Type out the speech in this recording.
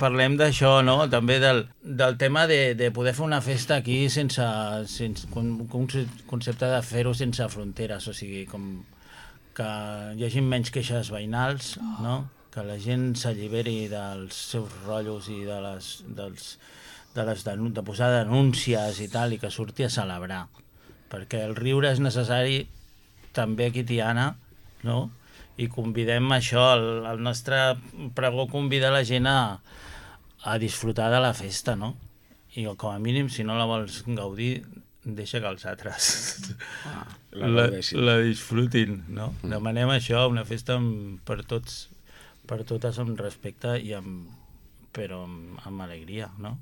parlem d'això, no? També del tema de poder fer una festa aquí sense un concepte de fer-ho sense fronteres, o sigui, com que hi hagi menys queixes veïnals, no? Que la gent s'alliberi dels seus rotllos i de posar denúncies i tal, i que surti a celebrar. Perquè el riure és necessari també aquí a Tiana, no? I convidem això, el nostre pregó convida la gent a disfrutar de la festa, no? I com a mínim, si no la vols gaudir, deixa que els altres la disfrutin, no? Demanem això, una festa per totes amb respecte i però amb alegria, no?